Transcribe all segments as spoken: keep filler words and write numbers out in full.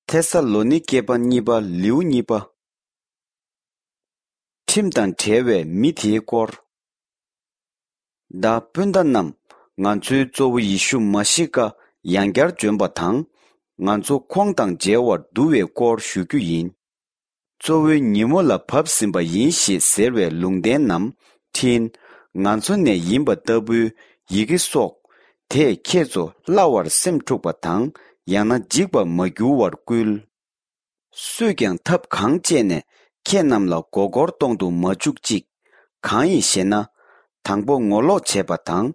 ཐེ་ས་ལོ་ནི་ཀེ་པ་གཉིས་པ་ལེའུ་གཉིས་པ། ཁྲིམས་དང་བྲལ་བའི་མི་དེའི་སྐོར། ད་སྤུན་ཟླ་རྣམས། ང་ཚོའི་གཙོ་བོ་ཡེ་ཤུ་མ་ཤི་ཀ་ཡང་བསྐྱར་འབྱོན་པ་དང་། ང་ཚོ་ཁོང་དང་མཇལ་བར་འདུ་བའི་སྐོར་ཞུ་རྒྱུ་ཡིན། གཙོ་བོའི་ཉིན་མོ་ལ་བབས་ཟིན་པ་ཡིན་ཞེས་ཟེར་བའི་ལུང་བསྟན་ནམ་འཕྲིན། ང་ཚོ་ནས་ཡིན་པ་ལྟ་བུའི་ཡི་གེ་སོགས། དེས་ཁྱེད་ཚོ་སླ་བར་སེམས་འཁྲུགས་པ་དང་། ཡང་ན་འཇིགས་པར་མ་འགྱུར་བར་བསྐུལ། སུས་ཀྱང་ཐབས་གང་སྤྱད་ནས་ཁྱེད་རྣམས་ལ་མགོ་སྐོར་གཏོང་དུ་མ་བཅུག་ཅིག། གང་ཡིན་ཞེ་ན། དང་པོ་ངོ་ལོག་བྱས་པ་དང་།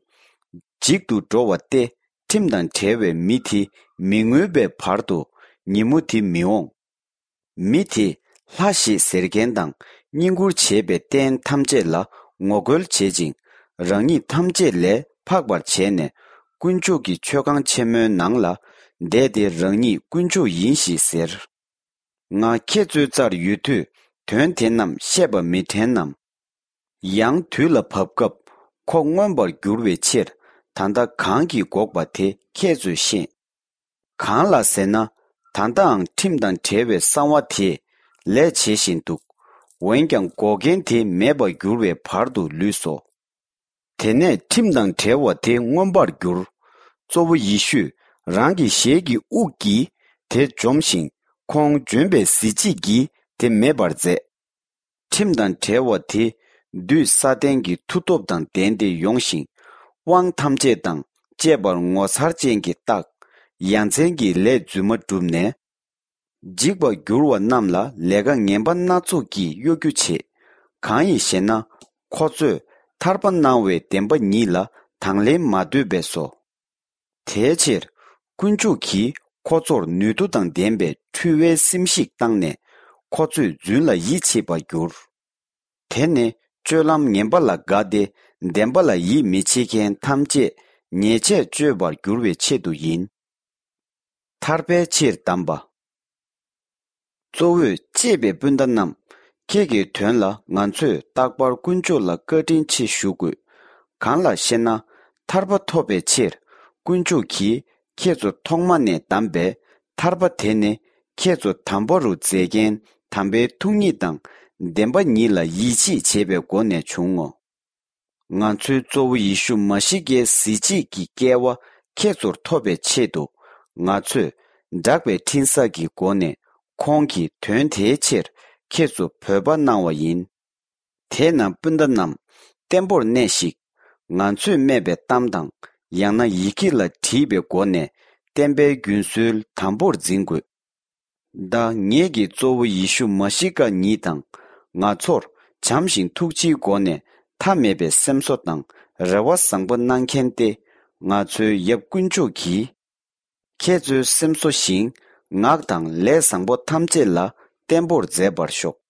འཇིག་ཏུ་འགྲོ་བ་སྟེ། ཁྲིམས་དང་བྲལ་བའི་མི་དེ་མི་མངོན་པའི་བར་དུ་ཉིན་མོ་དེ་མི་འོང་། མི་དེས་ལྷ་ཞེས་ཟེར་མཁན་དང་བསྙེན་བཀུར་བྱས་པའི་རྟེན་ཐམས་ཅད་ལ་ངོ་རྒོལ་བྱེད་ཅིང་། རང་ཉིད་ཐམས་ཅད་ལས་འཕགས་པར་བྱས་ནས། དཀོན་མཆོག་གི་མཆོད་ཁང་ཆེན་མོའི་ནང་ལ་བསྡད་དེ། རང་ཉིད་དཀོན་མཆོག་ཡིན་ཞེས་ཟེར། ང་ཁྱེད་ཚོའི་རྩར་ཡོད་དུས། དོན་དེ་རྣམས་བཤད་པ་མི་དྲན་ནམ། ཡང་དུས་ལ་བབ་སྐབས་ཁོ་མངོན་པར་འགྱུར་བའི་ཕྱིར། ད་ལྟ་གང་གིས་འགོག་པ་དེ་ཁྱེད་ཚོས་ཤེས། གང་ལ་ཟེར་ན། ད་ལྟའང་ཁྲིམས་དང་བྲལ་བའི་གསང་བ་དེས་ལས་བྱེད་བཞིན་འདུག། འོན་ཀྱང་། འགོག་མཁན་དེ་མེད་པར་འགྱུར་བའི་བར་དུ་ལུས་སོ། དེ་ནས་ཁྲིམས་དང་བྲལ་བ་དེ་མངོན་པར་གྱུར། གཙོ་བོ་ཡེ་ཤུས་རང་གི་ཞལ་གྱི་དབུགས་ཀྱིས་དེ་འཇོམས་ཤིང་། ཁོང་འབྱོན་པའི་གཟི་བརྗིད་ཀྱིས་དེ་མེད་པར་མཛད། ཁྲིམས་དང་བྲལ་བ་དེ་བདུད་སཱ་ཏན་གྱི་མཐུ་སྟོབས་དང་ལྡན་ཏེ་ཡོང་ཞིང་། དབང་ཐམས་ཅད་དང་བཅས་པར་ངོ་མཚར་ཅན་གྱི་རྟགས། ཡ་མཚན་གྱི་ལས་རྫུན་མ་བསྒྲུབས་ནས། འཇིག་པར་འགྱུར་བ་རྣམས་ལ་ལས་ཀ་ངན་པ་སྣ་ཚོགས་ཀྱིས་གཡོ་སྒྱུ་བྱེད། གང་ཡིན་ཞེ་ན། ཁོ་ཚོས་ཐར་པ་གནང་བའི་བདེན་པ་ཉིད་ལ་དང་ལེན་མ་འདོད་པས་སོ། དེའི་ཕྱིར། དཀོན་མཆོག་གིས་ཁོ་ཚོར་ནུས་མཐུ་དང་ལྡན་པའི་འཁྲུལ་བའི་སེམས་ཤིག་བཏང་ནས། ཁོ་ཚོས་རྫུན་ལ་ཡིད་ཆེས་པར་འགྱུར། དེ་ནི་སྤྱོད་ལམ་ངན་པ་ལ་དགའ་སྟེ། བདེན་པ་ལ་ཡིད་མི་ཆེས་མཁན་ཐམས་ཅད་ཉེས་ཆད་གཅོད་པར་འགྱུར་བའི་ཆེད་དུ་ཡིན། ཐར་པའི་ཕྱིར་བདམས་པ། གཙོ་བོས་གཅེས་པའི་སྤུན་ཟླ་རྣམས། ཁྱེད་ཀྱི་དོན་ལ་ང་ཚོས་རྟག་པར་དཀོན་མཆོག་ལ་བཀའ་དྲིན་ཆེ་ཞུ་དགོས། གང་ལགས་ཤེ་ན། ཐར་པ་ཐོབ་པའི་ཕྱིར་དཀོན་མཆོག་གིས་ཁྱེད་ཚོ་ཐོག་མ་ནས་བདམས་པས། ཐར་པ་དེ་ནི་ཁྱེད་ཚོ་དམ་པ་རུ་མཛད་མཁན་དམ་པའི་ཐུགས་ཉིད་དང་བདེན་པ་ཉིད་ལ་ཡིད་ཆེས་བྱས་པའི་སྒོ་ནས་བྱུང་ངོ་། ང་ཚོའི་གཙོ་བོ་ཡེ་ཤུ་མ་ཤི་ཀའི་གཟི་བརྗིད་ཀྱི་སྐལ་བ་ཁྱེད་ཚོར་ཐོབ་པའི་ཆེད་དུ། ང་ཚོས་བསྒྲགས་པའི་འཕྲིན་གསར་གྱི་སྒོ་ནས་ཁོང་གིས་དོན་དེའི་ཕྱིར་ཁྱེད་ཚོ་འབོད་པ་གནང་བ་ཡིན། དེས་ན་སྤུན་ཟླ་རྣམས། བརྟན་པོར་གནས་ཤིག། ང་ཚོས་སྨྲས་པའི་གཏམ་དང་། ཡང་ན་ཡི་གེ་ལ་བྲིས་པའི་སྒོ་ནས་བསྟན་པའི་རྒྱུན་སྲོལ་དམ་པོར་འཛིན་དགོས། ད་ངེད་ཀྱི་གཙོ་བོ་ཡེ་ཤུ་མ་ཤི་ཀ་ཉིད་དང་། ང་ཚོར་བྱམས་ཤིང་ཐུགས་རྗེའི་སྒོ་ནས་མཐའ་མེད་པའི་སེམས་གསོ་དང་རེ་བ་བཟང་པོ་གནང་མཁན་ཏེ། ང་ཚོའི་ཡབ་དཀོན་མཆོག་གིས་ཁྱེད་ཚོའི་སེམས་གསོ་ཞིང་ངག་དང་ལས་བཟང་པོ་ཐམས་ཅད་ལ་བརྟན་པོར་མཛད་པར་ཤོག།